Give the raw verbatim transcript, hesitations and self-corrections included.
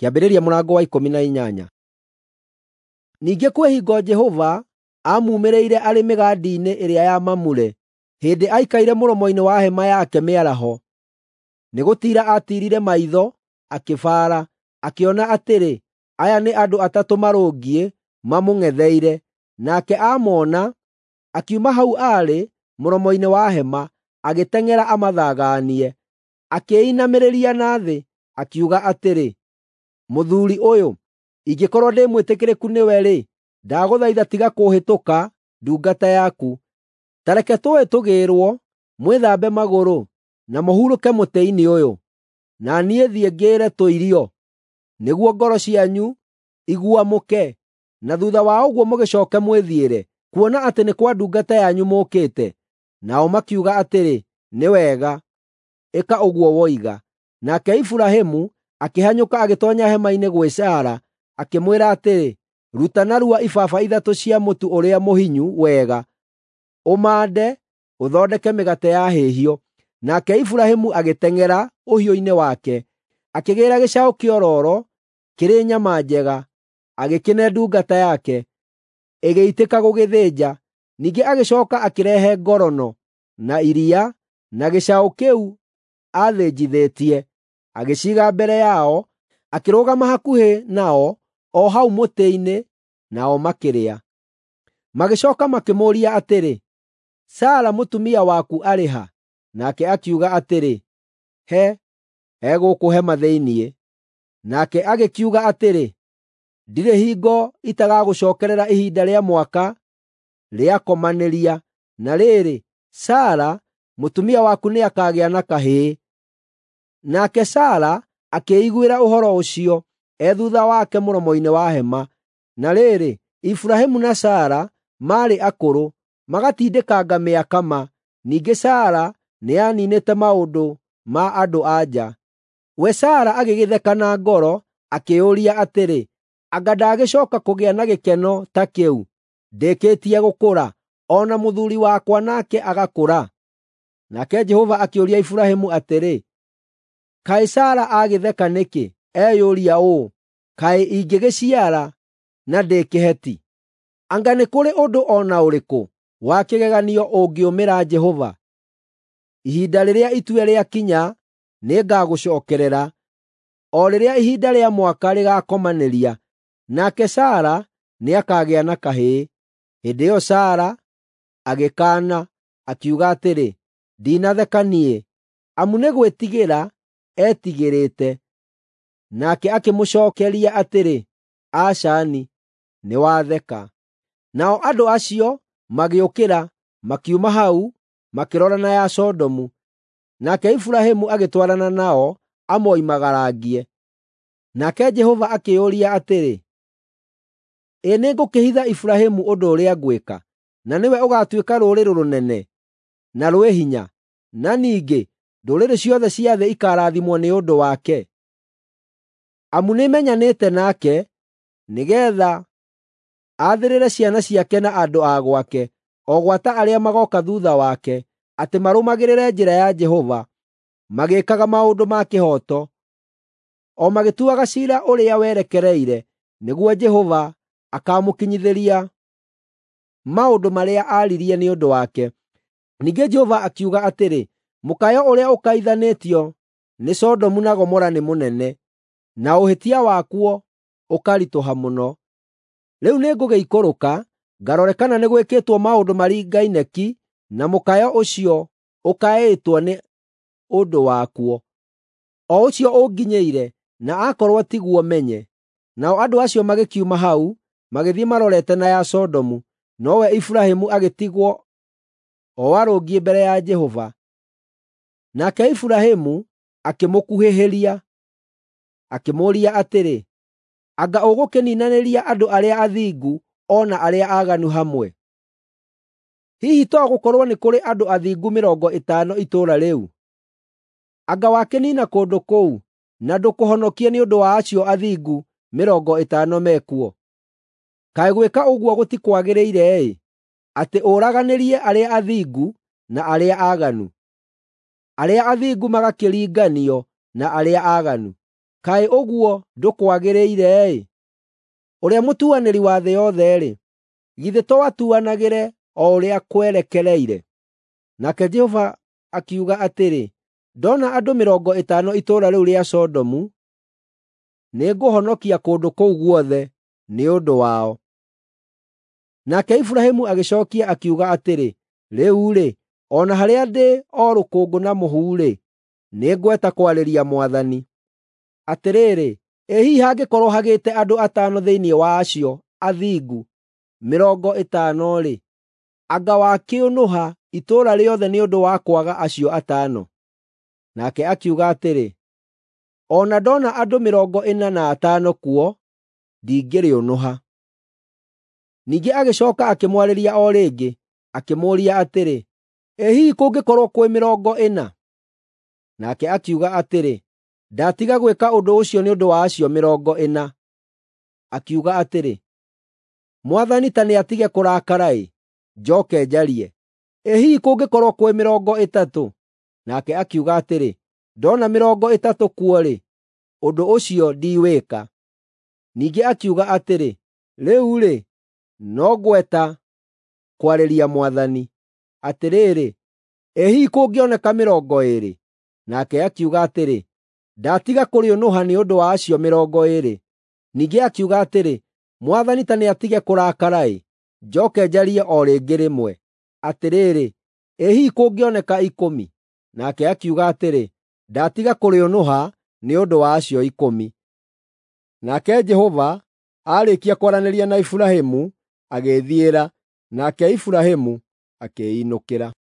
Kĩambĩrĩria mũrango wa ikũmi na inyanya. Ningĩ kwĩ hingo Jehova aamumĩrĩire arĩ mĩgandi-inĩ ĩrĩa ya Mamure, hĩndĩ aikaire mũromo-inĩ wa hema yake mĩaraho. Nĩ gũtiira aatiirire maitho, akĩbaara, akĩona atĩrĩ, aya nĩ andũ atatũ marũngiĩ mamũng'etheire. Nake aamoona, akiuma hau aarĩ mũromo-inĩ wa hema, agĩteng'era amathagaanie. Akĩĩinamĩrĩria na thĩ, akiuga atĩrĩ, “Mũthuuri ũyũ, ingĩkorwo ndĩ mwĩtĩkĩrĩku nĩwe-rĩ, ndagũthaitha tiga kũũhĩtũka ndungata yaku. Ta reke tũũĩ tũgĩĩrwo, mwĩthambe magũrũ, na mũhurũke mũtĩ-inĩ ũyũ. Na niĩ thiĩ ngĩĩre tũirio, nĩguo ngoro cianyu iguamũke, na thuutha wa ũguo mũgĩcooke mwĩthiĩre, kuona atĩ nĩ kwa ndungata yanyu mũũkĩte.” Nao makiuga atĩrĩ, “Nĩ wega, ĩka ũguo woiga.” Nake Iburahĩmu akĩhanyũka agĩtoonya hema-inĩ gwĩ Sara, akĩmwĩra atĩrĩ, “Ruta narua ibaba ithatũ cia mũtu ũrĩa mũhinyu wega, ũmande, ũthondeke mĩgate yahĩhio.” Nake Iburahĩmu agĩteng'era ũhiũ-inĩ wake, akĩgĩĩra gĩcaũ kĩororo kĩrĩ nyama njega, agĩkĩne ndungata yake, ĩgĩitĩka gũgĩthĩnja. Ningĩ agĩcooka akĩrehe ngorono, na iria, na gĩcaũ kĩu aathĩnjithĩtie, agĩciiga mbere yao, akĩrũgama hakuhĩ nao o hau mũtĩ-inĩ, nao makĩrĩa. Magĩcooka makĩmũũria atĩrĩ, “Sara mũtumia waku arĩ ha?” Nake akiuga atĩrĩ, “He, egũkũ hema thĩinĩ.” Nake agĩkiuga atĩrĩ, “Ndirĩ hingo itagagũcookerera ihinda rĩa mwaka rĩakomanĩria, na rĩrĩ, Sara mũtumia waku nĩakagĩa na kahĩĩ.” Nake Sara akĩĩiguĩra ũhoro ũcio e thuutha wake mũromo-inĩ wa hema. Na rĩrĩ, Iburahĩmu na Sara maarĩ akũrũ, magatindĩkanga mĩaka ma, ningĩ Sara nĩaniinĩte maũndũ ma andũ-a-nja. We Sara agĩgĩtheka na ngoro, akĩĩyũria atĩrĩ, “Anga ndagĩcooka kũgĩa na gĩkeno ta kĩu, ndĩkĩtie gũkũra, o na mũthuuri wakwa nake agakũra?” Nake Jehova akĩũria Iburahĩmu atĩrĩ, “Kaĩ Sara agĩtheka nĩkĩ, eyũria ũũ, ‘Kaĩ ingĩgĩciara na ndĩ kĩheti?’ Anga nĩ kũrĩ ũndũ o na ũrĩkũ wa kĩgeganio ũngĩũmĩra Jehova? Ihinda rĩrĩa itue rĩakinya, nĩngagũcookerera, o rĩrĩa ihinda rĩa mwaka rĩgaakomanĩria, nake Sara nĩakagĩa na kahĩĩ.” Hĩndĩ ĩyo Sara agĩkaana, akiuga atĩrĩ, “Ndinatheka niĩ,” amu nĩ gwĩtigĩra eetigĩrĩte. Nake akĩmũcookeria atĩrĩ, “Aca-ni, nĩwatheka.” Nao andũ acio magĩũkĩra, makiuma hau, makĩrora na ya Sodomu. Nake Iburahĩmu agĩtwarana nao amoimagarangie. Nake Jehova akĩĩyũria atĩrĩ, “Ĩ nĩngũkĩhitha Iburahĩmu ũndũ ũrĩa ngwĩka, na nĩwe ũgaatuĩka rũrĩrĩ rũnene na rwĩ hinya, na ningĩ ndũrĩrĩ ciothe cia thĩ ikaarathimwo nĩ ũndũ wake? Amu nĩmenyanĩte nake nĩgeetha aathĩrĩre ciana ciake na andũ a gwake, o gwata arĩa magooka thuutha wake, atĩ marũmagĩrĩre njĩra ya Jehova, magĩĩkaga maũndũ ma kĩhooto, o magĩtuaga ciira ũrĩa werekereire, nĩguo Jehova akaamũkinyithĩria maũndũ marĩa aaririe nĩ ũndũ wake.” Ningĩ Jehova akiuga atĩrĩ, “Mũkayo ũrĩa ũkaithanĩtio nĩ Sodomu na Gomora nĩ mũnene, na ũhĩtia wakuo ũkaritũha mũno. Rĩu nĩngũgĩikũrũka ngarore kana nĩ gwĩkĩtwo maũndũ maringaine ki na mũkayo ũcio ũkaĩtwo nĩ ũndũ wakuo, o ũcio ũnginyĩire, na aakorwo tiguo menye.” Nao andũ acio magĩkiuma hau, magĩthiĩ marorete na ya Sodomu, nowe Iburahĩmu agĩtigwo o arũngiĩ mbere ya Jehova. Nake Iburahĩmu akĩmũkuhĩhĩria, akĩmũũria atĩrĩ, “Anga ũgũkĩniinanĩria andũ arĩa athingu o na arĩa aaganu hamwe? Hihi to gũkorwo nĩ kũrĩ andũ athingu mĩrongo ĩtano itũũra rĩu? Anga wakĩniina kũndũ kũu na ndũkũhonokie nĩ ũndũ wa acio athingu mĩrongo ĩtano mekuo? Kaĩ gwĩka ũguo gũtikwagĩrĩire-ĩ, atĩ ũraganĩrie arĩa athingu na arĩa aaganu, arĩa athingu magakĩringanio na arĩa aaganu!” Kaĩ ũguo ndũkwagĩrĩire-ĩ! Ũrĩa mũtuanĩri wa thĩ yothe-rĩ, githĩ to atuanagĩre o ũrĩa kwerekereire?” Nake Jehova akiuga atĩrĩ, “Ndona andũ mĩrongo ĩtano itũũra rĩu rĩa Sodomu, nĩngũhonokia kũndũ kũu guothe nĩ ũndũ wao.” Nake Iburahĩmu agĩcookia akiuga atĩrĩ, “Rĩu-rĩ, o na harĩa ndĩ o rũkũngũ na mũhu-rĩ, nĩngweta kwarĩria Mwathani. Atĩrĩrĩ, ĩ hihi hangĩkorwo hagĩte andũ atano thĩinĩ wa acio athingu mĩrongo ĩtano-rĩ, anga wakĩũnũha itũũra rĩothe nĩ ũndũ wa kwaga acio atano?” Nake akiuga atĩrĩ, “O na ndona andũ mĩrongo ĩna na atano kuo, ndingĩrĩũnũha.” Ningĩ agĩcooka akĩmwarĩria o rĩngĩ, akĩmũũria atĩrĩ, “Ĩ hihi kũngĩkorwo kwĩ mĩrongo ĩna?” Nake akiuga atĩrĩ, “Ndatiga gwĩka ũndũ ũcio nĩ ũndũ wa acio mĩrongo ĩna.” Akiuga atĩrĩ, “Mwathani ta nĩatige kũrakara-ĩ, njooke njarie. Ĩ hihi kũngĩkorwo kwĩ mĩrongo ĩtatũ?” Nake akiuga atĩrĩ, “Ndona mĩrongo ĩtatũ kuo-rĩ, ũndũ ũcio ndiwĩka.” Ningĩ akiuga atĩrĩ, “Rĩu-rĩ, no ngweta kwarĩria Mwathani. Atĩrĩrĩ, ĩ hihi kũngĩoneka mĩrongo ĩĩrĩ?” Nake akiuga atĩrĩ, “Ndatiga kũrĩũnũha nĩ ũndũ wa acio mĩrongo ĩĩrĩ.” Ningĩ akiuga atĩrĩ, “Mwathani ta nĩatige kũrakara-ĩ, njooke njarie o rĩngĩ rĩmwe. Atĩrĩrĩ, ĩ hihi kũngĩoneka ikũmi?” Nake akiuga atĩrĩ, “Ndatiga kũrĩũnũha nĩ ũndũ wa acio ikũmi.” Nake Jehova aarĩkia kwaranĩria na Iburahĩmu, agĩĩthiĩra, nake Iburahĩmu akĩĩinũkĩra.